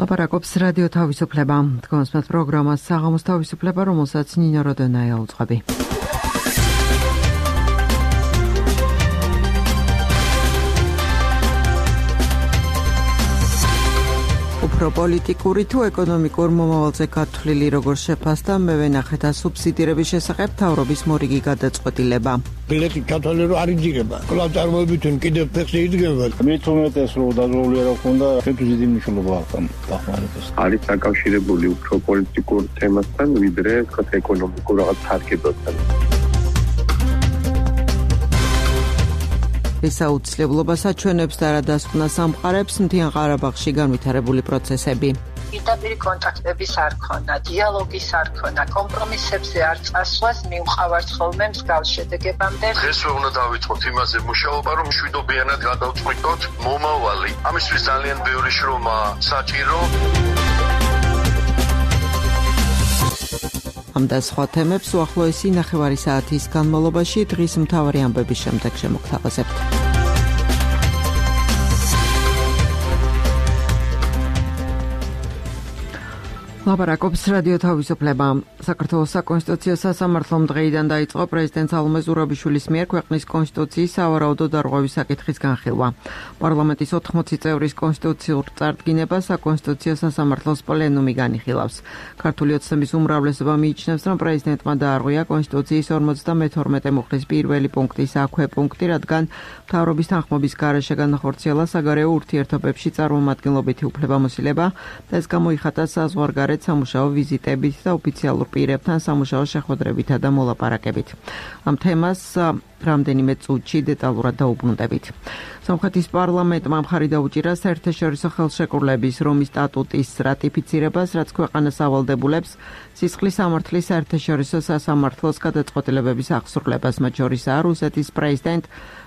ლაპარაკობს რადიო თავისუფლება. თქვენს პროგრამას საღამოს თავისუფლება, რომელსაც ნინო როდონაია უძღვები. უფრო პოლიტიკური თუ ეკონომიკურ მომავალზე გათვლილი როგორ შეფასდა მე ვენახეთ სუბსიდირების შესახებ თავრობის მორიგი გადაწყვეტილება. ბილეთი კათოლიკე არ იძირება. კვლავ წარმოებითουν კიდევ ფეხზე იდგება. მე თუმეტეს რომ დაზღვეული არ ქონდა, თვითონ დიდი მნიშვნელობა აქვს ამ დახმარებას. არის დაკავშირებული უფრო პოლიტიკურ თემასთან, ვიდრე ეკონომიკურ რაღაც თარგებასთან. ეს აუცილებლობას აჩვენებს და რა დასკვნა სამყარებს მთიან ყარაბაღში განვითარებული პროცესები. პირდაპირ კონტაქტების არ ქონა, დიალოგის არ ქონა, კომპრომისებზე არ წასვლას მიუყავართ ხოლმე მსგავს შედეგებამდე. დღესვე უნდა დავიწყოთ იმაზე მუშაობა, რომ მშვიდობიანად გადავწყვიტოთ მომავალი. ამისთვის ძალიან ბევრი შრომა საჭირო. ამ და სხვა თემებს უახლოესი ნახევარი საათის განმავლობაში დღის მთავარი ამბების შემდეგ შემოგთავაზებთ. ლაპარაკობს რადიო თავისუფლება. საქართველოს საკონსტიტუციო სასამართლომ დღეიდან დაიწყო პრეზიდენტ სალომე ზურაბიშვილის მიერ ქვეყნის კონსტიტუციის სავარაუდო დარღვევის საკითხის განხილვა. პარლამენტის 80 წევრის კონსტიტუციურ წარდგინებას საკონსტიტუციო სასამართლოს პლენუმი განიხილავს. ქართული ოცნების უმრავლესობა მიიჩნევს, რომ პრეზიდენტმა დაარღვია კონსტიტუციის 52 მუხლის პირველი პუნქტის აქვე პუნქტი, რადგან მთავრობის თანხმობის გარეშე განახორციელა საგარეო ურთიერთობებში წარმომადგენლობითი უფლებამოსილება და ეს გამოიხატა საზღვარგარეთ სამუშაო ვიზიტებით და ოფიციალურ პირებთან სამუშაო შეხვედრებითა და მოლაპარაკებით. ამ თემას რამდენიმე წუთში დეტალურად დაუბრუნდებით. სომხეთის პარლამენტმა მხარი დაუჭირა საერთაშორისო ხელშეკრულების რომის სტატუტის რატიფიცირებას, რაც ქვეყანას ავალდებულებს სისხლის სამართლის საერთაშორისო სასამართლოს გადაწყვეტილებების აღსრულებას, მათ შორისაა რუსეთის პრეზიდენტ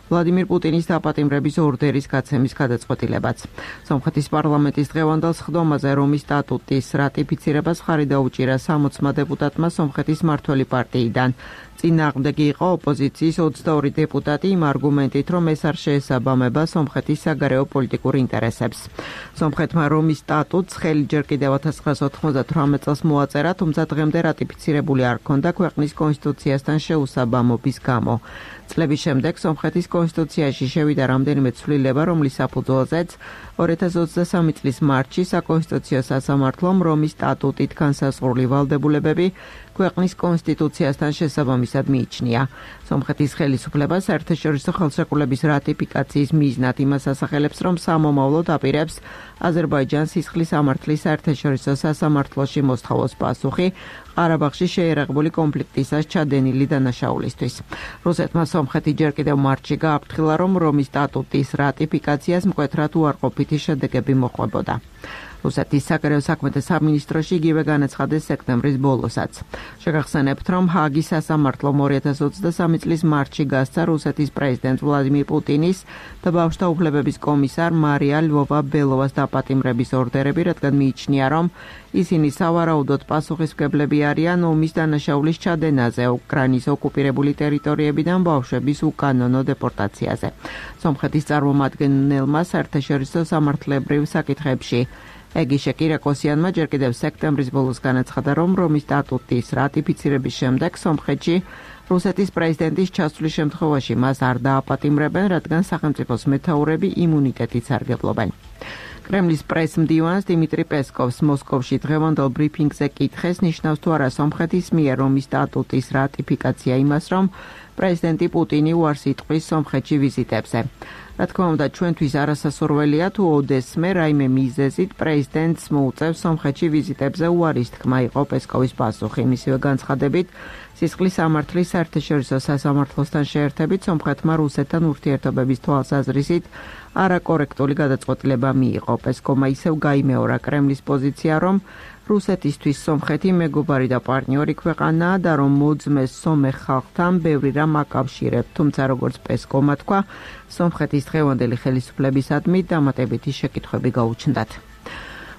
ვლადიმირ პუტინის დაპატიმრების ორდერის გაცემის გადაწყვეტილებაც. სომხეთის პარლამენტის დღევანდელ სხდომაზე რომის სტატუტის რატიფიცირებას მხარი დაუჭირა 60 დეპუტატმა სომხეთის მმართველი პარტიიდან. წინააღმდეგი იყო ოპოზიციის 22 დეპუტატი იმ არგუმენტით, რომ ეს არ შეესაბამება სომხეთის საგარეო პოლიტიკურ ინტერესებს. სომხეთმა რომის სტატუტს ხელი ჯერ კიდევ 1998 წელს მოაწერა, თუმცა დღემდე რატიფიცირებული არ ჰქონდა ქვეყნის კონსტიტუციასთან შეუსაბამობის გამო. წლების შემდეგ სომხეთის კონსტიტუციაში შევიდა რამდენიმე ცვლილება, რომლის საფუძველზეც 2023 წლის მარტში საკონსტიტუციო სასამართლომ რომის სტატუტით განსაზღვრული ვალდებულებები ქვეყნის კონსტიტუციასთან შესაბამისად მიიჩნია. სომხეთის ხელისუფლება საერთაშორისო ხელშეკრულების რატიფიკაციის მიზნად იმას ასახელებს, რომ სამომავლო დაპირებს აზერბაიჯანს სისხლის სამართლის საერთაშორისო სასამართლოში მოსთხოვოს პასუხი ყარაბაღში შეერაღებული კონფლიქტისას ჩადენილი დანაშაულისთვის. რუსეთმა სომხეთი ჯერ კიდევ მარტში გააფრთხილა, რომ რომის სტატუტის რატიფიკაციას მკვეთრად უარყოფითი შედეგები მოჰყვებოდა. რუსეთის საგარეო საქმეთა სამინისტროში იგივე განაცხადეს სექტემბრის ბოლოსაც. შეგახსენებთ, რომ ჰააგის სასამართლომ 2023 წლის მარტში გასცა რუსეთის პრეზიდენტ ვლადიმირ პუტინის და ბავშვთა უფლებების კომისარ მარია ლვოვა-ბელოვას დაპატიმრების ორდერები, რადგან მიიჩნია, რომ ისინი სავარაუდოდ პასუხისმგებლები არიან ომის დანაშაულის ჩადენაზე, უკრაინის ოკუპირებული ტერიტორიებიდან ბავშვების უკანონო დეპორტაციაზე. სომხეთის წარმომადგენელმა საერთაშორისო სამართლებრივ საკითხებში ეგიშე კირაკოსიანმა ჯერ კიდევ სექტემბრის ბოლოს განაცხადა, რომ რომის სტატუტის რატიფიცირების შემდეგ სომხეთში რუსეთის პრეზიდენტის ჩასვლის შემთხვევაში მას არ დააპატიმრებენ, რადგან სახელმწიფოს მეთაურები იმუნიტეტით სარგებლობენ. კრემლის პრეს-მდივანს დიმიტრი პესკოვს მოსკოვში დღევანდელ ბრიფინგზე კითხეს, ნიშნავს თუ არა სომხეთის მიერ რომის სტატუტის რატიფიკაცია იმას, რომ პრეზიდენტი პუტინი უარს იტყვის სომხეთში ვიზიტებზე. რა თქმა უნდა, ჩვენთვის არასასურველია თუ ოდესმე რაიმე მიზეზით პრეზიდენტს მოუწევს სომხეთში ვიზიტებზე უარის თქმა, იყო პესკოვის პასუხი. მისივე განცხადებით, სისხლის სამართლის საერთაშორისო სასამართლოსთან შეერთებით სომხეთმა რუსეთთან ურთიერთობების თვალსაზრისით არაკორექტული გადაწყვეტილება მიიღო. პესკოვმა ისევ გაიმეორა კრემლის პოზიცია, რომ რუსეთისთვის სომხეთი მეგობარი და პარტნიორი ქვეყანაა და რომ მოძმეს სომეხ ხალხთან ბევრი რამ აკავშირებს, თუმცა როგორც პესკოვმა თქვა, სომხეთის დღევანდელი ხელისუფლებისადმი დამატებითი შეკითხვები გაუჩნდათ.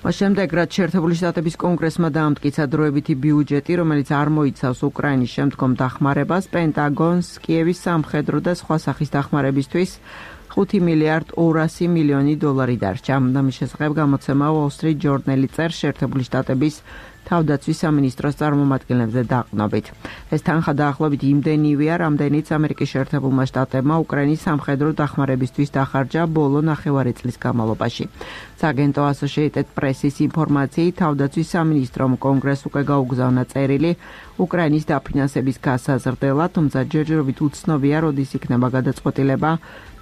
შემდეგ რაც შეერთებული შტატების კონგრესმა დაამტკიცა დროებითი ბიუჯეტი, რომელიც არ მოიცავს უკრაინის შემდგომ დახმარებას, პენტაგონს კიევის სამხედრო და სხვა სახის დახმარებისთვის 5 მილიარდ 200 მილიონი დოლარი დარჩა. ამის შესახებ გამოცემა Wall Street Journal-ი წერს შეერთებული შტატების თავდაცვის სამინისტროს წარმომადგენლებზე დაყრდნობით. ეს თანხა დაახლოებით იმდენივეა, რამდენიც ამერიკის შეერთებულმა შტატებმა უკრაინის სამხედრო დახმარებისთვის დახარჯა ბოლო ნახევარი წლის განმავლობაში. სააგენტო Associated Press-ის ინფორმაციით, თავდაცვის სამინისტრომ კონგრესს უკვე გაუგზავნა წერილი უკრაინის დაფინანსების გასაზრდელად, თუმცა ჯერჯერობით უცნობია, როდის იქნება გადაწყვეტილება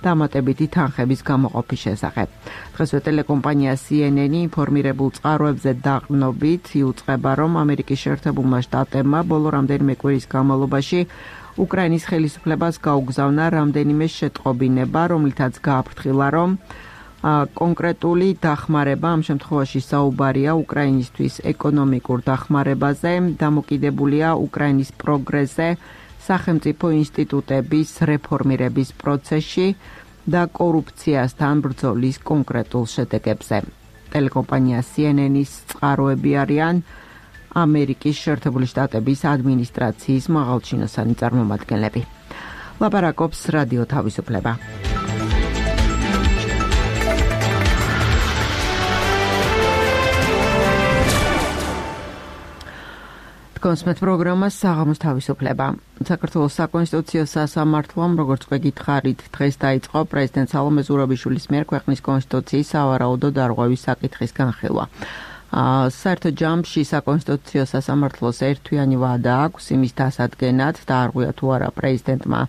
დამატებითი თანხების გამოყოფის შესახებ. დღესვე ტელეკომპანია CNN-ი ინფორმირებულ წყაროებზე დაყრდნობით იუწყება, რომ ამერიკის შეერთებულმა შტატებმა ბოლო რამდენიმე კვირის განმავლობაში უკრაინის ხელისუფლებას გაუგზავნა რამდენიმე შეტყობინება, რომლითაც გააფრთხილა, რომ კონკრეტული დახმარება, ამ შემთხვევაში საუბარია უკრაინისთვის ეკონომიკურ დახმარებაზე, დამოკიდებულია უკრაინის პროგრესზე, სახელმწიფო ინსტიტუტების რეფორმირების პროცესში და კორუფციასთან ბრძოლის კონკრეტულ შედეგებზე. ტელეკომპანია CNN-ის წყაროები არიან ამერიკის შეერთებული შტატების ადმინისტრაციის მაღალჩინოსანი წარმომადგენლები. ლაპარაკობს რადიო თავისუფლება. კონსმეთ პროგრამა საღამოს თავისუფლება. საქართველოს საკონსტიტუციო სასამართლომ, როგორც გვეკითხარით, დღეს დაიწყო პრეზიდენტ სალომე ზურაბიშვილის მიერ ქვეყნის კონსტიტუციის სავარაუდო დარღვევის საკითხის განხილვა. საერთო ჯამში საკონსტიტუციო სასამართლოს ერთთვიანი ვადა აქვს იმის დასადგენად, დაარღვია თუ არა პრეზიდენტმა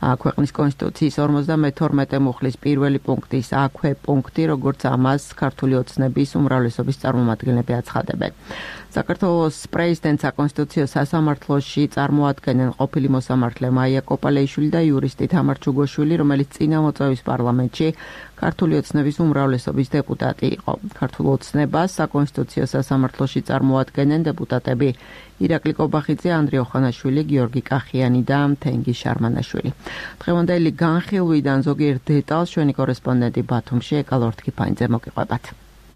ქვეყნის კონსტიტუციის 52 მუხლის პირველი პუნქტის აქვე პუნქტი, როგორც ამას ქართული ოცნების უმრავლესობის წარმომადგენლები აცხადებენ. საქართველოს პრეზიდენტს საკონსტიტუციო სასამართლოში წარმოადგენენ ყოფილი მოსამართლე მაია კოპალეიშვილი და იურისტი თამარ ჩუგოშვილი, რომელიც წინა მოწვევის პარლამენტში ქართული ოცნების უმრავლესობის დეპუტატი იყო. ქართულ ოცნებას საკონსტიტუციო სასამართლოში წარმოადგენენ დეპუტატები ირაკლი კობახიძე, ანდრე ოხანაშვილი, გიორგი კახიანი და თენგი შარმანაშვილი. დღევანდელი განხილვიდან ზოგიერთ დეტალს ჩვენი კორესპონდენტი ბათუმში ეკალორთქიფანიძე მოგიყვებათ.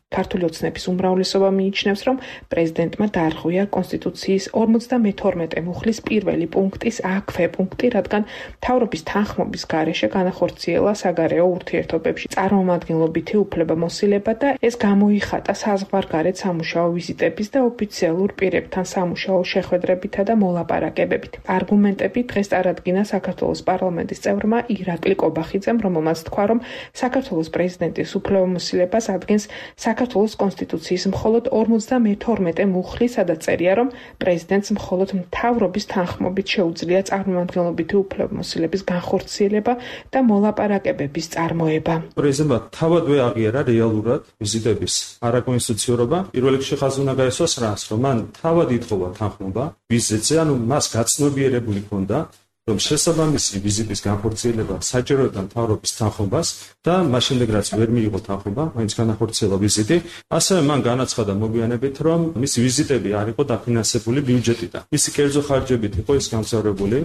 ქართული ოცნების უმრავლესობა მიიჩნევს, რომ პრეზიდენტმა დაარღვია კონსტიტუციის 52 მუხლის პირველი პუნქტის აქვე პუნქტი, რადგან მთავრობის თანხმობის გარეშე განახორციელა საგარეო ურთიერთობებში წარმომადგენლობითი უფლებამოსილება და ეს გამოიხატა საზღვარგარეთ სამუშაო ვიზიტების და ოფიციალურ პირებთან სამუშაო შეხვედრებითა და მოლაპარაკებებით. არგუმენტები დღეს წარადგინა საქართველოს პარლამენტის წევრმა ირაკლი კობახიძემ, რომელმაც თქვა, რომ საქართველოს პრეზიდენტის უფლებამოსილებას ადგენს საქართველოს კონსტიტუციის მხოლოდ 52 მუხლი, სადაც წერია, რომ პრეზიდენტს მხოლოდ მთავრობის თანხმობით შეუძლია წარმომადგენლობითი უფლებამოსილების განხორციელება და მოლაპარაკებების წარმოება. პრეზიდენტმა თავადვე აღიარა რეალურად ვიზიტების არაკონსტიტუციურობა. პირველ რიგში ხაზი უნდა გაესვას რას, რომ მან თავად ითხოვა თანხმობა ვიზიტზე, ანუ მას გაცნობიერებული ჰქონდა, რომ შესაბამისი ვიზიტის განხორციელება საჭიროებდა მთავრობის თანხმობას და მას შემდეგ რაც ვერ მიიღო თანხმობა, მაინც განახორციელა ვიზიტი. ასევე მან განაცხადა მოგვიანებით, რომ მისი ვიზიტები არ იყო დაფინანსებული ბიუჯეტიდან. მისი კერძო ხარჯებით იყო ის გამგზავრებული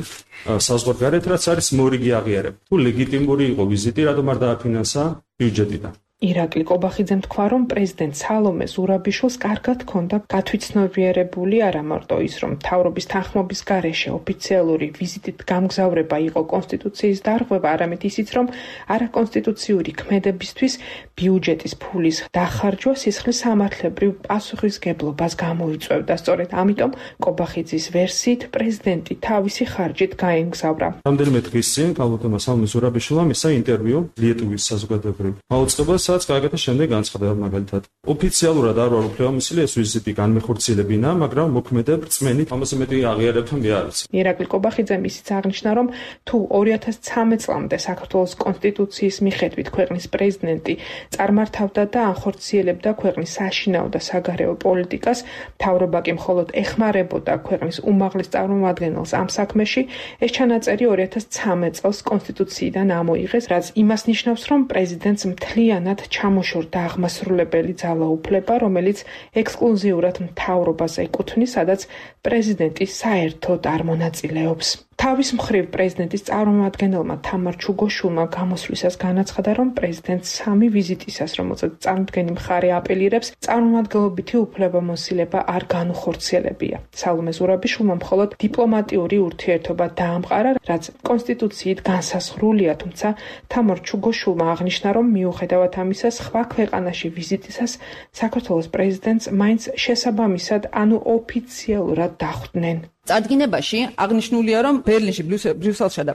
საზღვარგარეთ, რაც არის მორიგი აღიარება. თუ ლეგიტიმური იყო ვიზიტი, რატომ არ დააფინანსა ბიუჯეტიდან? ირაკლი კობახიძემ თქვა, რომ პრეზიდენტ სალომე ზურაბიშვილს კარგად ჰქონდა გათვითცნობიერებული არა მარტო ის, რომ მთავრობის თანხმობის გარეშე ოფიციალური ვიზიტით გამგზავრება იყო კონსტიტუციის დარღვევა, არამედ ისიც, რომ არაკონსტიტუციური ქმედებისთვის ბიუჯეტის ფულის დახარჯვა სისხლის სამართლებრივ პასუხისგებლობას გამოიწვევდა. სწორედ ამიტომ კობახიძის ვერსიით პრეზიდენტი თავისი ხარჯით გაემგზავრა. რამდენიმე დღის წინ ქალბატონმა სალომე ზურაბიშვილმა მისცა ინტერვიუ ლიეტუვის საზოგადოებრივ მაუწყებელს, სადაც გააკეთა შემდეგ განცხადება, მაგალითად, ოფიციალურად არ ვარ უფლებამოსილი ეს ვიზიტი განმეხორციელებინა, მაგრამ მოქმედებ რწმენით, ამაზე მეტი აღიარებთან მე არ ვიცი. ირაკლი კობახიძემ ისიც აღნიშნა, რომ თუ 2013 წლამდე საქართველოს კონსტიტუციის მიხედვით ქვეყნის პრეზიდენტი წარმართავდა და ანხორციელებდა ქვეყნის საშინაო და საგარეო პოლიტიკას, მთავრობა კი მხოლოდ ეხმარებოდა ქვეყნის უმაღლეს წარმომადგენელს ამ საქმეში, ეს ჩანაწერი 2013 წელს კონსტიტუციიდან ამოიღეს, რაც იმას ნიშნავს, რომ პრეზიდენტს მთლიანად ჩამოშორდა აღმასრულებელი ძალაუფლება, რომელიც ექსკლუზიურად მთავრობას ეკუთვნის, სადაც პრეზიდენტი საერთოდ არ მონაწილეობს. თავის მხრივ პრეზიდენტის წარმომადგენელმა თამარ ჩუგოშულმა გამოსვლისას განაცხადა, რომ პრეზიდენტს 3 ვიზიტისას, რომელსაც წარმოდგენი მხარე აპელირებს, წარმომადგენლობითი უფლებამოსილება არ განუხორციელებია. სალომე ზურაბიშვილმა მხოლოდ დიპლომატიური ურთიერთობა დაამყარა, რაც კონსტიტუციით განსაზღვრულია, თუმცა თამარ ჩუგოშულმა აღნიშნა, რომ მიუხედავად ამისა, სხვა ქვეყანაში ვიზიტისას საქართველოს პრეზიდენტს მაინც შესაბამისად, ოფიციალურად დახვდნენ. წარდგინებაში აღნიშნულია, რომ ბერლინში, ბრიუსელსა და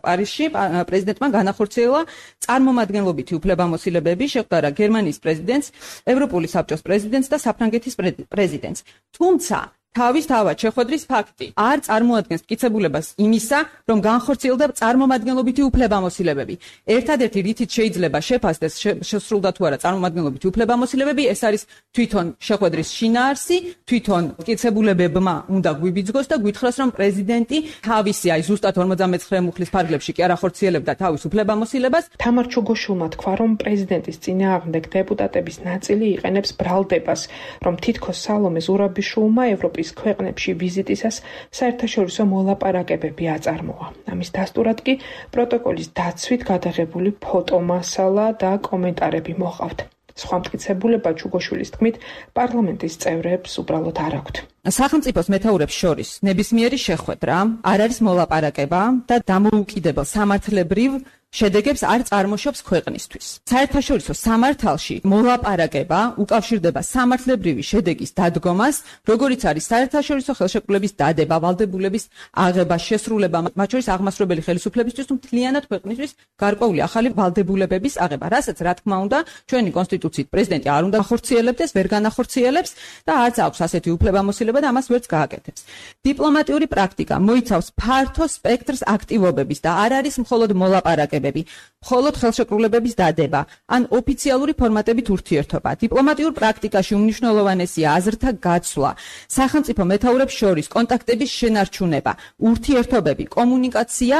პარიზში პრეზიდენტმა განახორციელა წარმომადგენლობითი უფლებამოსილებები, შეხვდა გერმანიის პრეზიდენტს, ევროპული საბჭოს პრეზიდენტს და საფრანგეთის პრეზიდენტს. თუმცა თავისთავად შეხვედრის ფაქტი არ წარმოადგენს მტკიცებულებას იმისა, რომ განხორციელდა წარმომადგენლობითი უფლებამოსილებები. ერთადერთი რითიც შეიძლება შეფასდეს შესრულდა თუ არა წარმომადგენლობითი უფლებამოსილებები, ეს არის თვითონ შეხვედრის შინაარსი, თვითონ მტკიცებულებებმა უნდა გვიბიძგოს და გვითხრას, რომ პრეზიდენტი თავისი ზუსტად 59 მუხლის ფარგლებში კი არ ახორციელებდა თავის უფლებამოსილებას. თამარ ჩუგოშულმა თქვა, რომ პრეზიდენტის წინააღმდეგ დეპუტატების ნაწილი იყენებს ბრალდებას, რომ თითქოს სალომე ზურაბიშვილმა ევროპის ქვეყნებში ვიზიტისას საერთაშორისო მოლაპარაკებები აწარმოა. ამის დასტურად კი პროტოკოლის დაცვით გადაღებული ფოტომასალა და კომენტარები მოყავთ. სხვა მტკიცებულება ჩუგოშვილის თქმით პარლამენტის წევრებს უბრალოდ არ აქვთ. სახელმწიფოს მეთაურებს შორის ნებისმიერი შეხვედრა არ არის მოლაპარაკება და დამოუკიდებელ სამართლებრივ შედეგებს არ წარმოშობს ქვეყნისთვის. საერთაშორისო სამართალში მოლაპარაკება უკავშირდება სამართლებრივი შედეგის დადგომას, როგორიც არის საერთაშორისო ხელშეკრულების დადება, ვალდებულების აღება, შესრულება, მათ შორის აღმასრულებელი ხელისუფლებისთვის თუ მთლიანად ქვეყნისთვის გარკვეული ახალი ვალდებულებების აღება, რასაც რა თქმა უნდა ჩვენი კონსტიტუციით პრეზიდენტი არ უნდა ახორციელებდეს, ვერ განახორციელებს და არც აქვს ასეთი უფლებამოსილება და ამას ვერც გააკეთებს. დიპლომატიური პრაქტიკა მოიცავს ფართო სპექტრს აქტივობების და არ არის მხოლოდ მოლაპარაკება, მხოლოდ ხელშეკრულებების დადება ან ოფიციალური ფორმატებით ურთიერთობა. დიპლომატიურ პრაქტიკაში უმნიშვნელოვანესია აზრთა გაცვლა, სახელმწიფო მეთაურებს შორის კონტაქტების შენარჩუნება, ურთიერთობები, კომუნიკაცია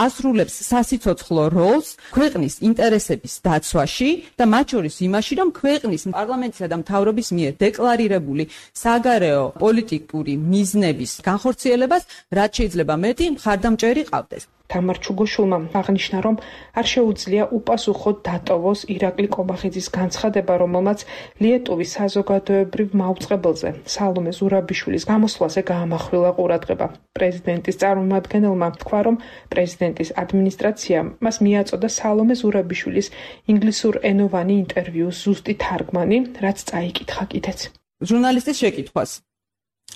ასრულებს სასიცოცხლო როლს ქვეყნის ინტერესების დაცვაში და მათ შორის იმაში, რომ ქვეყნის პარლამენტისა და მთავრობის მიერ დეკლარირებული საგარეო პოლიტიკური მიზნების განხორციელებას რაც შეიძლება მეტი მხარდამჭერი ყავდეს. თამარ ჩუგოშულმა აღნიშნა, რომ არ შეუძლია უპასუხოდ დატოვოს ირაკლი კობახიძის განცხადება, რომელმაც ლიეტუვის საზოგადოებრივ მაუწყებელზე სალომე ზურაბიშვილის გამოსვლაზე გაამახვილა ყურადღება. პრეზიდენტის წარმომადგენელმა თქვა, რომ პრეზიდენტის ადმინისტრაციამ მას მიაწოდა სალომე ზურაბიშვილის ინგლისურენოვანი ინტერვიუს ზუსტი თარგმანი, რაც წაიკითხა კიდეც. ჟურნალისტის შეკითხვას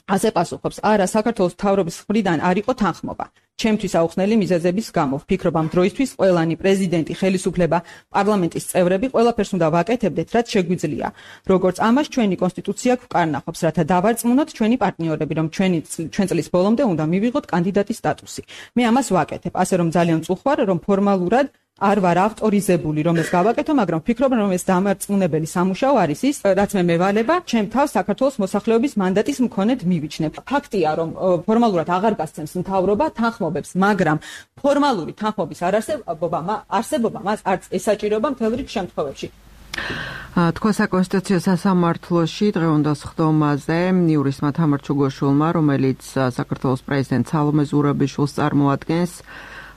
ასე პასუხობს: არა, საქართველოს მთავრობის მხრიდან არ იყო თანხმობა. ჩემთვის აუხსნელი მიზეზების გამო ვფიქრობ, ამ დროისთვის ყველანი პრეზიდენტი, ხელისუფლება, პარლამენტის წევრები ყველაფერს უნდა ვაკეთებდეთ, რაც შეგვიძლია. როგორც ამას ჩვენი კონსტიტუცია გვკარნახობს, რათა დავარწმუნოთ ჩვენი პარტნიორები, რომ ჩვენ წლის ბოლომდე უნდა მივიღოთ კანდიდატის სტატუსი. მე ამას ვაკეთებ, ასე რომ ძალიან წუხვარ, რომ ფორმალურად არ ვარ ავტორიზებული, რომ ეს გავაკეთო, მაგრამ ვფიქრობ, რომ ეს დამარწმუნებელი სამუშაო არის ის, რაც მე მევალება, ჩემ თავს საქართველოს მოსახლეობის მანდატის მქონედ მივიჩნევ. ფაქტია, რომ ფორმალურად აღარ გასცემს მთავრობა თანხმობებს, მაგრამ ფორმალური თანხმობის არსებობა მას არც ესაჭიროება მთელ რიგ შემთხვევებში. თქვა საკონსტიტუციო სასამართლოში დღევანდელ სხდომაზე იურისტმა თამარ ჩუგოშულმა, რომელიც საქართველოს პრეზიდენტ სალომე ზურაბიშვილს წარმოადგენს,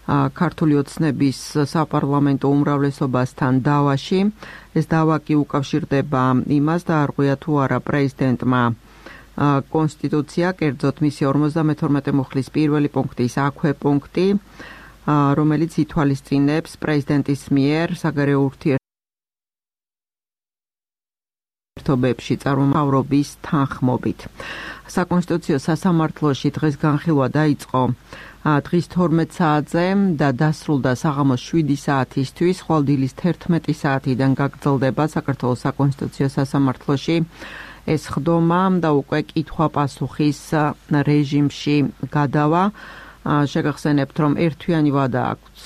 ქართული ოცნების საპარლამენტო უმრავლესობასთან დავაში. ეს დავა კი უკავშირდება იმას და არღვია თუ არა პრეზიდენტმა კონსტიტუცია, კერძოდ მისი 52 მუხლის პირველი პუნქტის აქვე პუნქტი, რომელიც ითვალისწინებს პრეზიდენტის მიერ საგარეო ურთიერთობებში წარმომავლობის თანხმობით. საკონსტიტუციო სასამართლოში დღეს განხილვა დაიწყო დღის 12 საათზე და დასრულდა საღამოს 7 საათისთვის, ხვალ დილის 11 საათიდან გაგრძელდება საქართველოს საკონსტიტუციო სასამართლოში ეს ხდომა და უკვე კითხვა-პასუხის რეჟიმში გადავა. შეგახსენებთ, რომ ერთვიანი ვადა აქვს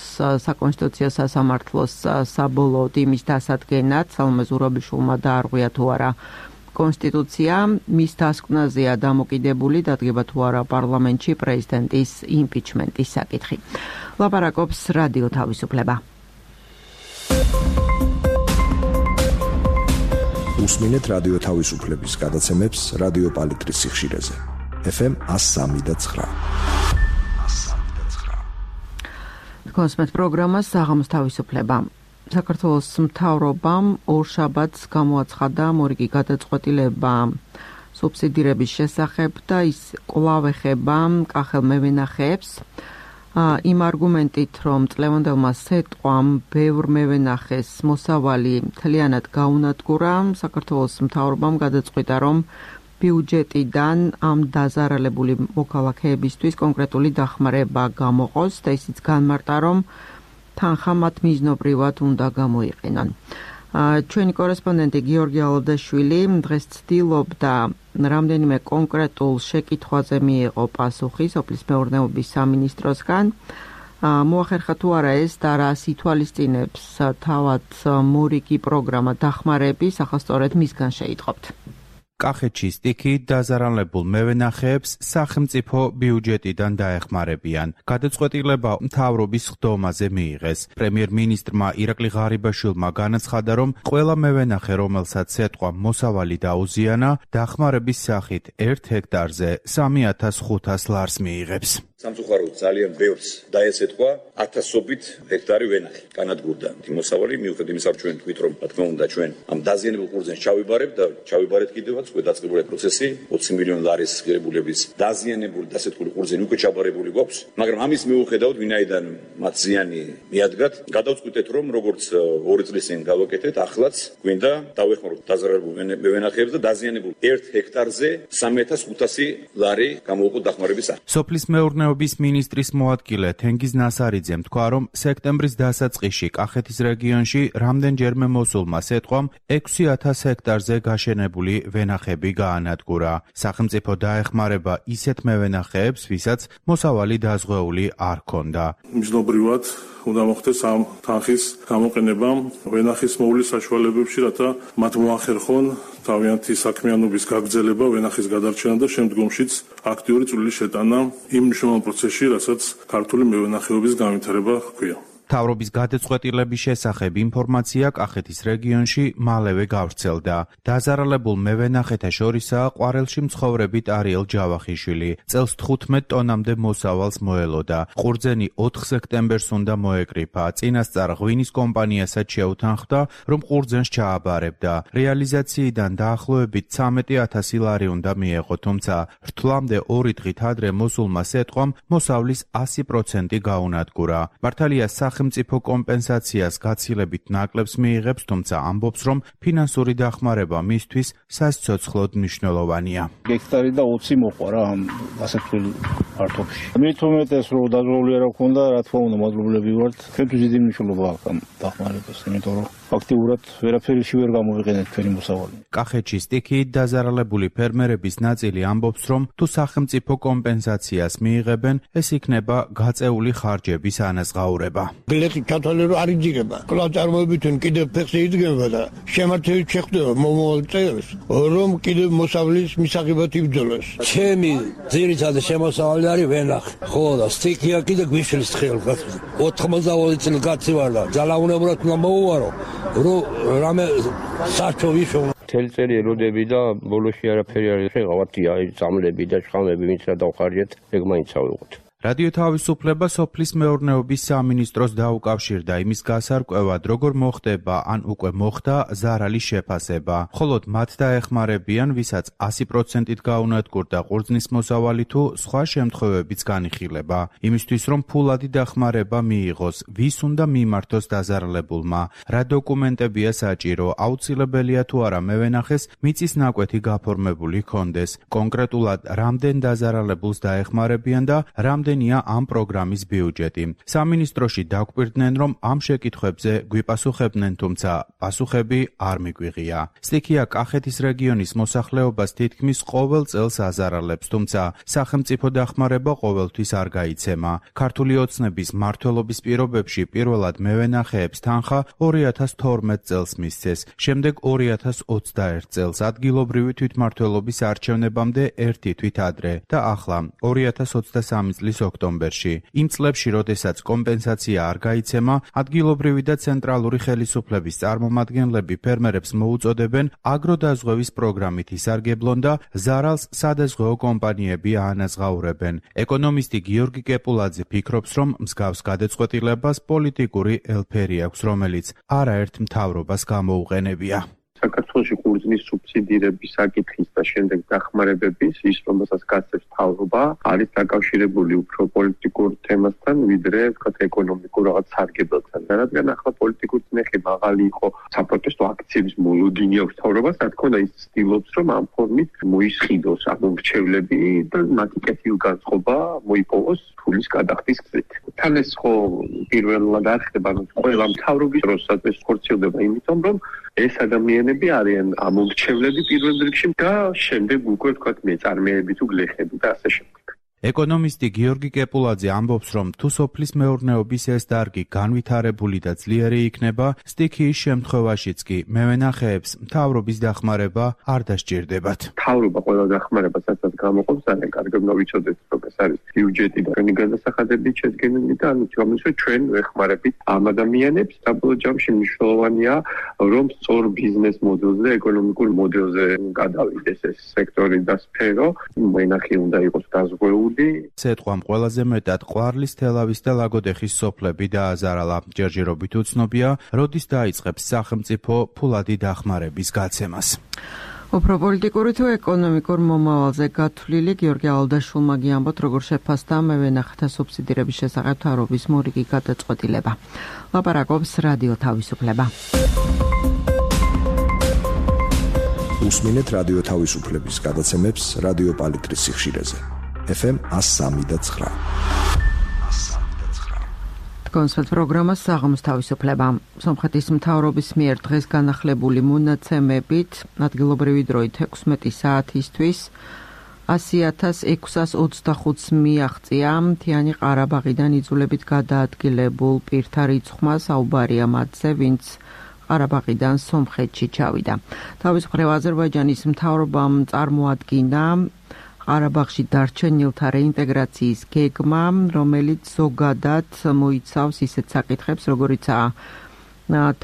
საკონსტიტუციო სასამართლოს საბოლოოდ იმის დასადგენად, სალომე ზურაბიშვილმა დაარღვია თუ არა კონსტიტუცია, მის დასკვნაზეა დამოკიდებული დადგება თუ არა პარლამენტში პრეზიდენტის იმპიჩმენტის საკითხი. ლაპარაკობს რადიო თავისუფლება. უსმინეთ რადიო თავისუფლების გადაცემებს რადიო პალიტრის სიხშირეზე. FM 103.9. კონსმეთ პროგრამას საღამოს თავისუფლება. საქართველოს მთავრობამ ორშაბათს გამოაცხადა მორიგი გადაწყვეტილება სუბსიდირების შესახებ და ის კვლავ ეხება კახელ მევენახეებს. იმ არგუმენტით, რომ წლევანდელმა სეტყვამ ბევრ მევენახეს მოსავალი მთლიანად გაუნადგურა, საქართველოს მთავრობამ გადაწყვიტა, რომ ბიუჯეტიდან ამ დაზარალებული მოქალაქეებისთვის კონკრეტული დახმარება გამოყოს და ისიც განმარტა, რომ თანხა მათ მიზნობრივად უნდა გამოიყენონ. ჩვენი კორესპონდენტი გიორგი ალოდაშვილი დღეს ცდილობდა რამდენიმე კონკრეტულ შეკითხვაზე მიიღო პასუხი სოფლის მეურნეობის სამინისტროსგან. მოახერხა თუ არა ეს და რას ითვალისწინებს თავად მორიგი პროგრამა დახმარების, ახლა სწორედ მისგან შეიტყობთ. კახეთში სტიქიით დაზარალებულ მევენახეებს სახელმწიფო ბიუჯეტიდან დაეხმარებიან. გადაწყვეტილება მთავრობის ხდომაზე მიიღეს. პრემიერ-მინისტრმა ირაკლი ღარიბაშვილმა განაცხადა, რომ ყველა მევენახე, რომელსაც სეტყვა მოსავალი დაუზიანა, დახმარების სახით 1 ჰექტარზე 3500 ლარს მიიღებს. სამწუხაროდ ძალიან ბევრს დაესეთქვა 1000-ობით ჰექტარი ვენახი. განადგურდა მოსავალი, მიუხედავად იმისა, რომ ჩვენ თქვით, რომ რა თქმა უნდა ჩვენ ამ დაზიანებულ ყურძენს ჩავიბარებთ და ჩავიბარეთ კიდევაც, უკვე დაწყებულია პროცესი, 20 მილიონი ლარის ღირებულების დაზიანებული დასეთქული ყურძენი უკვე ჩაბარებული გვაქვს, მაგრამ ამის მიუხედავად, ვინაიდან მათ ზიანი მიადგათ, გადავწყვიტეთ, რომ როგორც 2 წლის წინ გავაკეთეთ, ახლაც გვინდა დავეხმაროთ დაზარალებულ მევენახეებს და დაზიანებულ 1 ჰექტარზე 3500 ლარი გამოვიყო დახმარების სახით. სოფლის მეურნეობის მინისტრის მოადგილე თენგიზ ნასარიძემ თქვა, რომ სექტემბრის დასაწყისში კახეთის რეგიონში რამდენჯერმე მოსულმა სეტყვამ 6000 ჰექტარზე გაშენებული ვენახები გაანადგურა. სახელმწიფო დაეხმარება ისეთ მევენახეებს, ვისაც მოსავალი დაზღვეული არ ჰქონდა. მიზნობრივად უნდა მოხდეს ამ თანხის გამოყენება ვენახის მოვლის საშუალებებში, რათა მათ მოახერხონ თავიანთი საქმიანობის გაგრძელება, ვენახის გადარჩენა და შემდგომშიც აქტიური წვლილი შეტანა იმ მნიშვნელოვან პროცესში, რასაც ქართული მევენახეობის განვითარება ჰქვია. მთავრობის გადაწყვეტილების შესახებ ინფორმაცია კახეთის რეგიონში მალევე გავრცელდა. დაზარალებულ მევენახეთა შორისაა ყვარელში მცხოვრები ტარიელ ჯავახიშვილი. წელს 15 ტონამდე მოსავალს მოელოდა. ყურძენი 4 სექტემბერს უნდა მოეკრიფა. წინასწარ ღვინის კომპანიასაც შეუთანხმდა, რომ ყურძენს ჩააბარებდა. რეალიზაციიდან დაახლოებით 13000 ლარი უნდა მიეღო, თუმცა რთვლამდე 2 დღით ადრე მოსულმა სეტყვამ მოსავლის 100% გაუნადგურა. მართალია სახელმწიფო კომპენსაციას გაცილებით ნაკლებს მიიღებს, თუმცა ამბობს, რომ ფინანსური დახმარება მისთვის სასიცოცხლოდ მნიშვნელოვანია. ჰექტარი და 20 მოყვა რა ამ ასეთულ ფართობში. მით უმეტეს რომ დაზღვეული არ ქონდა, რა თქმა უნდა, მადლობლები ვართ. ჩვენთვის დიდი მნიშვნელობა აქვს ამ დახმარებას, იმიტომ რომ აქტიურად ვერაფერში ვერ გამოვიყენეთ ჩვენი მოსავალი. კახეთში სტიქიით დაზარალებული ფერმერების ნაწილი ამბობს, რომ თუ სახელმწიფო კომპენსაციას მიიღებენ, ეს იქნება გაწეული ხარჯების ანაზღაურება. ბილეთი ჩათვალე რომ არ იძირება. კვლავ წარმოებითონ კიდევ ფეხზე იდგება და შემართებით შეხვდება მომავალ წელს, რომ კიდევ მოსავლის მისაღებად იბრძოლოს. ჩემი ძირითადი შემოსავალი არის ვენახი. ხო და სტიქია კიდე გვიშლის თხილს. 80 წელი კაცი ვარ და ძალაუნებურად უნდა მოვუარო, რომ რამე საერთო ვიშო თელწერი ელოდები და ბოლოში არაფერი არ შეღავათია, წამლები და შხამები ვინც რა დავხარჯეთ, ეგ მაინც ავიღოთ. რადიო თავისუფლება სოფლის მეურნეობის სამინისტროს დაუკავშირდა იმის გასარკვევად, როგორ მოხდება ან უკვე მოხდა ზარალის შეფასება. მხოლოდ მათ დაეხმარებიან, ვისაც 100%-ით გაუნადგურდა ყურძნის მოსავალი თუ სხვა შემთხვევებიც განიხილება. იმისთვის, რომ ფულადი დახმარება მიიღოს, ვის უნდა მიმართოს დაზარალებულმა, რა დოკუმენტებია საჭირო, აუცილებელია თუ არა მევენახეს მიწის ნაკვეთი გაფორმებული ჰქონდეს. კონკრეტულად რამდენ დაზარალებულს დაეხმარებიან და რამდენია ამ პროგრამის ბიუჯეტი. სამინისტროში დაგვირდნენ, რომ ამ შეკითხვებზე გვიპასუხებდნენ, თუმცა პასუხები არ მიგვიღია. სტიქია კახეთის რეგიონის მოსახლეობას თითქმის ყოველ წელს აზარალებს, თუმცა სახელმწიფო დახმარება ყოველთვის არ გაიცემა. ქართული ოცნების მმართველობის პირობებში პირველად მევენახეებს თანხა 2012 წელს მისცეს, შემდეგ 2021 წელს ადგილობრივი თვითმმართველობის არჩევნებამდე ერთი თვით ადრე და ახლა 2023 წლის ოქტომბერში. იმ წლებში, როდესაც კომპენსაცია არ გაიცემა, ადგილობრივი და ცენტრალური ხელისუფლების წარმომადგენლები ფერმერებს მოუწოდებენ აგროდაზღვევის პროგრამით ისარგებლონ და ზარალს სადაზღვეო კომპანიები აანაზღაურებენ. ეკონომისტი გიორგი კეპულაძე ფიქრობს, რომ მსგავს გადაწყვეტილებას პოლიტიკური ელფერი აქვს, რომელიც არაერთ მთავრობას გამოუყენებია. საქართველოში ყურძნის სუბსიდირების საკითხის და შემდეგ დახმარებების ის რომელსაც გასცემს მთავრობა არის დაკავშირებული უფრო პოლიტიკურ თემასთან ვიდრე ვთქვათ ეკონომიკურ რაღაც სარგებლობთან. რადგან ახლა პოლიტიკური წნეხი მაღალი იყო საპროტესტო აქციების მოლოდინი აქვს მთავრობას, რა თქმა უნდა ის ცდილობს რომ ამ ფორმით მოისყიდოს ამორჩევლები და მათი კეთილგანწყობა მოიპოვოს ფულის გადახდის გზით. თან ეს ხო პირველად არ ხდება ყველა მთავრობის დროსაც ეს ხორციელდება იმიტომ რომ ეს ადამიანები არიან ამორჩევლები პირველ რიგში და შემდეგ უკვე ვთქვათ მეწარმეები თუ გლეხები და ასე შემდეგ. ეკონომისტი გიორგი კეპულაძე ამბობს, რომ თუ სოფლის მეურნეობის ეს დარგი განვითარებული და ძლიერი იქნება, სტიქიის შემთხვევაშიც კი მევენახეებს მთავრობის დახმარება არ დასჭირდებათ. მთავრობა ყველა დახმარებას რასაც გამოყოფს, ძალიან კარგად ვიცოდეთ, რომ ეს არის ბიუჯეტი და ჩვენი განსახადებით შედგენილი და ანუ გამოსვლა ჩვენ ვეხმარებით ამ ადამიანებს. საბოლოო ჯამში მნიშვნელოვანია, რომ სწორ ბიზნეს მოდელზე, ეკონომიკურ მოდელზე გადავიდეს ეს სექტორი და სფერო. მენახი უნდა იყოს დაზღვეული. სეტყვამ ყველაზე მეტად ყვარლის, თელავის და ლაგოდეხის სოფლები დააზარალა. ჯერჯერობით უცნობია, როდის დაიწყებს სახელმწიფო ფულადი დახმარების გაცემას. უფრო პოლიტიკური თუ ეკონომიკურ მომავალზე გათვლილი გიორგი ალდაშულმა გიამბოთ, როგორ შეფასდა მევენახეთა სუბსიდირების შესახებ მთავრობის მორიგი გადაწყვეტილება. ლაპარაკობს რადიო თავისუფლება. უსმინეთ რადიო თავისუფლების გადაცემებს რადიო პალიტრის სიხშირეზე. FM 103.9. კონსერტ პროგრამა საღამოს თავისუფლება. სომხეთის მთავრობის მიერ დღეს განახლებული მონაცემებით ადგილობრივი დროით 16 საათისთვის 100,625 მიაღწია მთიანი ყარაბაღიდან იძულებით გადაადგილებულ პირთა რიცხვმა. საუბარია მათზე, ვინც ყარაბაღიდან სომხეთში ჩავიდა. თავისუფლება აზერბაიჯანის მთავრობამ წარმოადგინა ყარაბაღში დარჩენილთა რეინტეგრაციის გეგმა, რომელიც ზოგადად მოიცავს ისეთ საკითხებს, როგორიცაა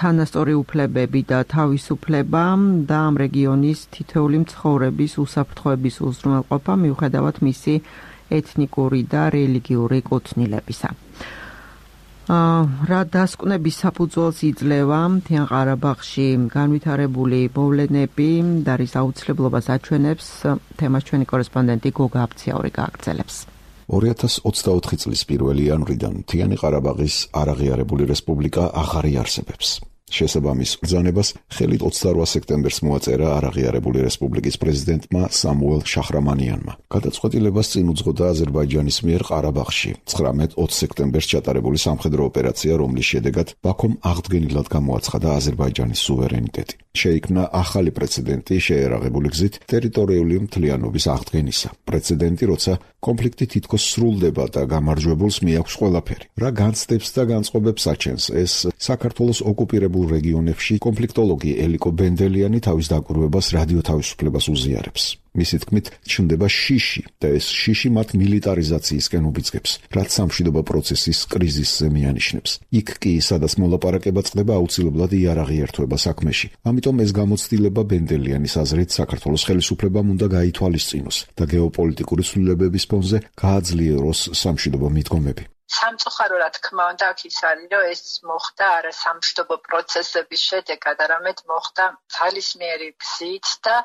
თანასწორი უფლებები და თავისუფლება და ამ რეგიონის თითოეული მცხოვრების უსაფრთხოების უზრუნველყოფა მიუხედავად მისი ეთნიკური და რელიგიური კუთვნილებისა. რა დასკვნების საფუძველს იძლევა მთიან ყარაბაღში განვითარებული მოვლენები და რის აუცილებლობას აჩვენებს, თემას ჩვენი კორესპონდენტი გოგა აფციაური გააგრძელებს. 2024 წლის 1 იანვრიდან მთიანი ყარაბაღის არაღიარებული რესპუბლიკა აღარ იარსებებს. შესაბამის ბრძანებას ხელით 28 სექტემბერს მოაწერა არაღიარებული რესპუბლიკის პრეზიდენტმა სამუელ შახრამანიანმა. გადაწყვეტილებას წინ უძღოდა აზერბაიჯანის მიერ ყარაბაღში 19-20 სექტემბერს ჩატარებული სამხედრო ოპერაცია, რომლის შედეგად ბაქომ აღდგენილად გამოაცხადა აზერბაიჯანის სუვერენიტეტი. შეიქმნა ახალი პრეცედენტი შეერაღებული გზით ტერიტორიული მთლიანობის აღდგენისა. პრეცედენტი, როცა კონფლიქტი თითქოს სრულდება და გამარჯვებულს მიაქვს ყველაფერი. რა განცდებს და განწყობებს აჩენს ეს საქართველოს ოკუპირებულ რეგიონებში კონფლიქტოლოგი ელიკო ბენდელიანი თავის დაკვირვებას რადიო თავისუფლებას უზიარებს. მისი თქმით, ჩნდება შიში და ეს შიში მათ მილიტარიზაციისკენ უბიძგებს, რაც სამშვიდობო პროცესის კრიზისზე მიანიშნებს. იქ კი, სადაც მოლაპარაკება წყდება, აუცილებლად იარაღიერთვება საქმეში. ამიტომ ეს გამოცდილება ბენდელიანის აზრით საქართველოს ხელისუფლებამ უნდა გაითვალისწინოს და გეოპოლიტიკური ცვლილებების ფონზე გააძლიეროს სამშვიდობო მიდგომები. სამწუხარო რა თქმა უნდა აქ ის არის, რომ ეს მოხდა არა სამშვიდობო პროცესების შედეგად, არამედ მოხდა ძალისმიერი გზით და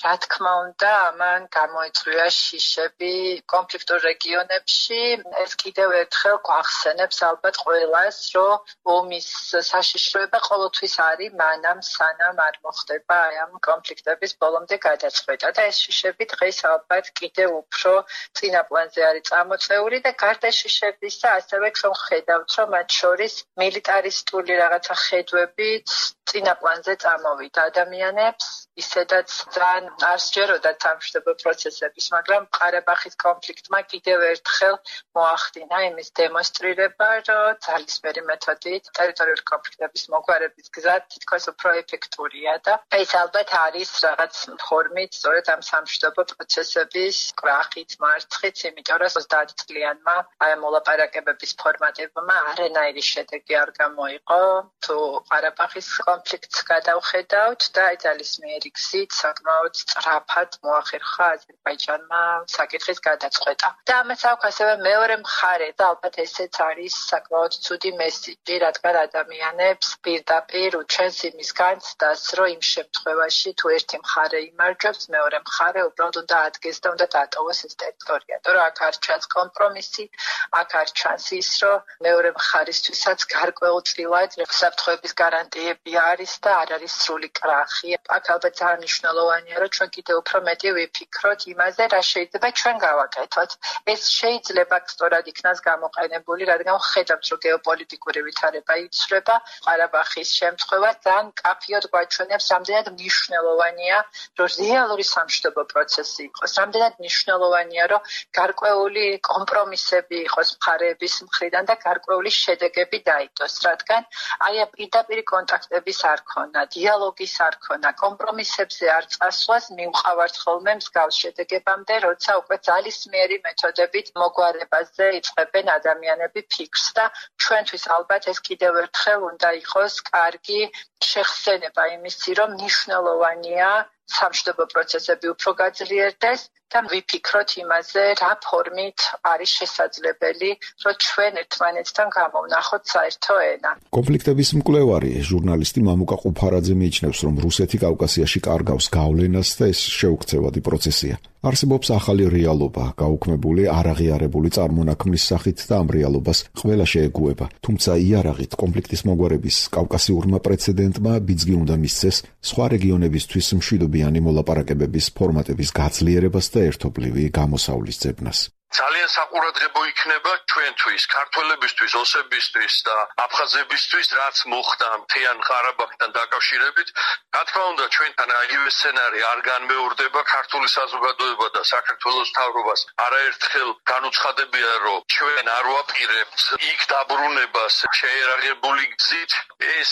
რა თქმა უნდა ამან გამოიწვია შიშები კონფლიქტურ რეგიონებში. ეს კიდევ ერთხელ გვახსენებს ალბათ ყველას, რომ ომის საშიშროება ყოველთვის არის მანამ სანამ არ მოხდება ამ კონფლიქტების ბოლომდე გადაწყვეტა და ეს შიშები დღეს ალბათ კიდევ უფრო წინა პლანზე არის წამოწეული და გარდა შიშებისა ასევე ჩვენ ხედავთ, რომ მათ შორის მილიტარისტული რაღაცა ხედვებით წინა პლანზე წამოვიდა ადამიანებს, ისედაც ძალიან არ სჯეროდათ სამშვიდობო პროცესების, მაგრამ ყარაბაღის კონფლიქტმა კიდევ ერთხელ მოახდინა იმის დემონსტრირება, რომ ძალისმიერი მეთოდით ტერიტორიული კონფლიქტების მოგვარების გზა თითქოს უფრო ეფექტურია და ეს ალბათ არის რაღაც ფორმით სწორედ ამ სამშვიდობო პროცესების კრახით, მარცხით, იმიტომ რომ 30 წლიანმა აი მოლაპარაკებების ფორმატებმა არანაირი შედეგი არ გამოიყო. თუ ყარაბაღის კონფლიქტს გადავხედავთ და აი ძალისმიერი გზით საკმაოდ სწრაფად მოახერხა აზერბაიჯანმა საკითხის გადაწყვეტა. და ამას აქვს ასევე მეორე მხარე და ალბათ ესეც არის საკმაოდ ცუდი მესიჯი, რადგან ადამიანებს პირდაპირ უჩვენს იმის განცდას, რომ იმ შემთხვევაში თუ ერთი მხარე იმარჯვებს, მეორე მხარე უბრალოდ უნდა ადგეს და უნდა დატოვოს ეს ტერიტორია. თორე აქ არ ჩანს კომპრომისი, აქ არ ჩანს ის, რომ მეორე მხარისთვისაც გარკვეულწილად საფრთხეების გარანტიები არის და არ არის სრული კრახი. აქ ალბათ ძალიან მნიშვნელოვანია, რომ ჩვენ კიდევ უფრო მეტი ვიფიქროთ იმაზე, რა შეიძლება ჩვენ გავაკეთოთ. ეს შეიძლება სწორად იქნას გამოყენებული, რადგან ხედავთ, რომ გეოპოლიტიკური ვითარება იცვლება, ყარაბაღის შემთხვევა ძალიან კაფიოდ გვაჩვენებს, რამდენად მნიშვნელოვანია, რომ რეალური სამშვიდობო პროცესი იყოს, რამდენად მნიშვნელოვანია, რომ გარკვეული კომპრომისები იყოს მხარეების მხრიდან და გარკვეული შედეგები დაიდოს, რადგან აი პირდაპირი კონტაქტების არ ქონა, დიალოგის არ ქონა, კომპრომისებზე არ წასვლას მივყავართ ხოლმე მსგავს შედეგებამდე, როცა უკვე ძალისმიერი მეთოდებით მოგვარებაზე იწყებენ ადამიანები ფიქრს და ჩვენთვის ალბათ ეს კიდევ ერთხელ უნდა იყოს კარგი შეხსენება იმისი, რომ მნიშვნელოვანია სამშვიდობო პროცესები უფრო გაძლიერდეს და ვიფიქროთ იმაზე, რა ფორმით არის შესაძლებელი, რომ ჩვენ ერთმანეთთან გამოვნახოთ საერთო ენა. კონფლიქტების მკვლევარი ჟურნალისტი მამუკა ყუფარაძე მიიჩნევს, რომ რუსეთი კავკასიაში კარგავს გავლენას და ეს შეუქცევადი პროცესია. არსებობს ახალი რეალობა, გაუქმებული არაღიარებული წარმონაქმნის სახით და ამ რეალობას ყველა შეეგუება. თუმცა იარაღით კონფლიქტის მოგვარების კავკასიურმა პრეცედენტმა ბიძგი უნდა მისცეს სხვა რეგიონებისთვის მშვიდობიანი მოლაპარაკებების ფორმატების გაძლიერებას და ერთობლივი გამოსავლის ძებნას. ძალიან საყურადღებო იქნება ჩვენთვის, ქართველებისთვის, ოსებისთვის და აფხაზებისთვის, რაც მოხდა მთიან ყარაბაღთან დაკავშირებით. რა თქმა უნდა, ჩვენთან აიგივე სცენარი არ განმეორდება, ქართული საზოგადოება და საქართველოს მთავრობას არაერთხელ განუცხადებია, რომ ჩვენ არ ვაპირებთ იქ დაბრუნებას შეერაღებული გზით. ეს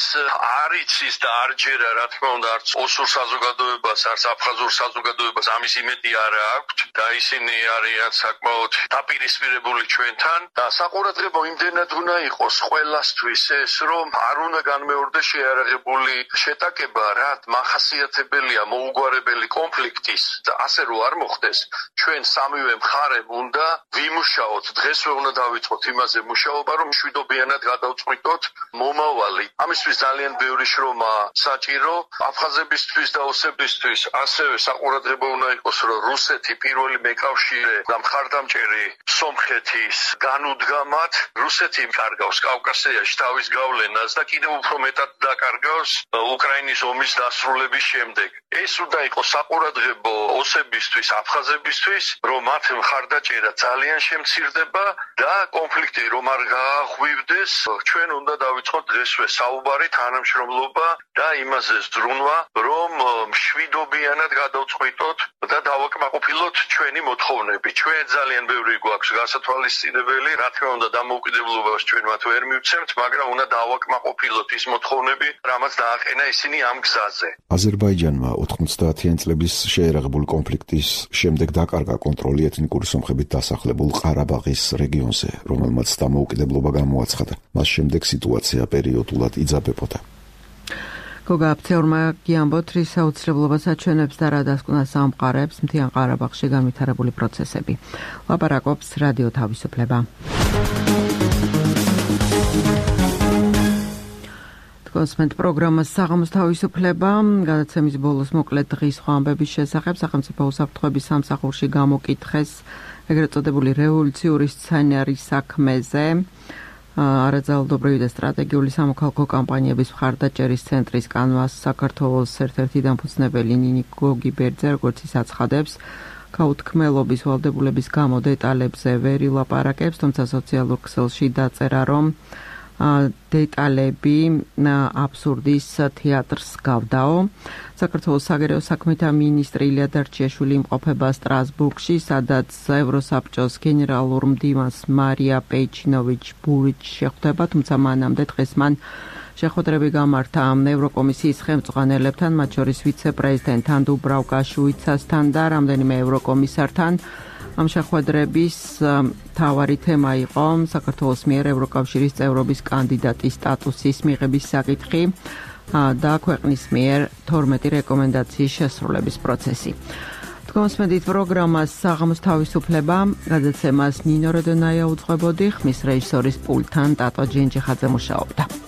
არ იცის და არ ჯერა, რა თქმა უნდა, არც ოსურ საზოგადოებას, არც აფხაზურ საზოგადოებას ამის იმედი არ აქვს და ისინი არიან საკმაოდ დაპირისპირებული ჩვენთან და საყურადღებო იმდენად უნდა იყოს ყველასთვის ეს, რომ არ უნდა განმეორდეს შეიარაღებული შეტაკება, რაც მახასიათებელია მოუგვარებელი კონფლიქტის და ასე რომ არ მოხდეს, ჩვენ სამივე მხარემ უნდა ვიმუშაოთ, დღესვე უნდა დავიწყოთ იმაზე მუშაობა, რომ მშვიდობიანად გადავწყვიტოთ მომავალი. ამისთვის ძალიან ბევრი შრომა საჭირო აფხაზებისთვის და ოსებისთვის. ასევე საყურადღებო უნდა იყოს, რომ რუსეთი პირველი მეკავშირე და მხარდამჭერი სომხეთის განუდგამად რუსეთი კარგავს კავკასიაში თავის გავლენას და კიდევ უფრო მეტად დაკარგავს უკრაინის ომის დასრულების შემდეგ. ეს უნდა იყოს საყურადღებო ოსებისთვის, აფხაზებისთვის, რომ მათ მხარდაჭერა ძალიან შემცირდება და კონფლიქტი რომ არ გააღვივდეს, ჩვენ უნდა დავიწყოთ დღესვე საუბარი, თანამშრომლობა და იმაზე ზრუნვა, რომ მშვიდობიანად გადავწყვიტოთ და დავაკმაყოფილოთ ჩვენი მოთხოვნები. ჩვენ ძალიან ბევრი გვაქვს გასათვალისწინებელი, რა თქმა უნდა დამოუკიდებლობას ჩვენ მათ ვერ მივცემთ, მაგრამ უნდა დავაკმაყოფილოთ ის მოთხოვნები, რამაც დააყენა ისინი ამ გზაზე. აზერბაიჯანმა 90-იან წლების შეერაღებული კონფლიქტის შემდეგ დაკარგა კონტროლი ეთნიკური სომხებით დასახლებულ ყარაბაღის რეგიონზე, რომელმაც დამოუკიდებლობა გამოაცხადა. მას შემდეგ სიტუაცია პერიოდულად იძაბებოდა. გოგა აფცეურმა გიამბოთ, რის აუცილებლობას აჩვენებს და რა დასკვნა სამყარებს მთიან ყარაბაღში განვითარებული პროცესები. ლაპარაკობს რადიო თავისუფლება. კონსმენტ პროგრამას საღამოს თავისუფლება, გადაცემის ბოლოს მოკლედ დღის სხვა ამბების შესახებ სახელმწიფო უსაფრთხოების სამსახურში გამოკითხეს ეგრეთ წოდებული რევოლუციური სცენარის საქმეზე. არაძალადობრივი და სტრატეგიული სამოქალაქო კამპანიების მხარდაჭერის ცენტრის კანვას საქართველოს ერთ-ერთი დამფუძნებელი ნინი გოგიბერძე, როგორც ის აცხადებს, გაუთქმელობის ვალდებულების გამო დეტალებზე ვერ ილაპარაკებს, თუმცა სოციალურ ქსელში დაწერა, რომ დეტალები აბსურდის თეატრს გავდაო. საქართველოს საგარეო საქმეთა მინისტრი ილია დარჩიაშვილი იმყოფება სტრასბურგში, სადაც ევროსაბჭოს გენერალურ მდივანს მარია პეიჩინოვიჩ-ბურიჩ შეხვდება, თუმცა მანამდე დღეს მან შეხვედრები გამართა ევროკომისიის ხელმძღვანელებთან, მათ შორის ვიცე-პრეზიდენტთან დუბრავკა შუიცასთან და რამდენიმე ევროკომისართან. ამ შეხვედრების მთავარი თემა იყო საქართველოს მიერ ევროკავშირის წევრობის კანდიდატის სტატუსის მიღების საკითხი და ქვეყნის მიერ 12 რეკომენდაციის შესრულების პროცესი. თქვენსმენდით პროგრამას საღამოს თავისუფლება, გადაცემას ნინო როდონაია უძღვებოდი, ხმის რეჟისორის პულტთან ტატო ჯინჯიხაძე მუშაობდა.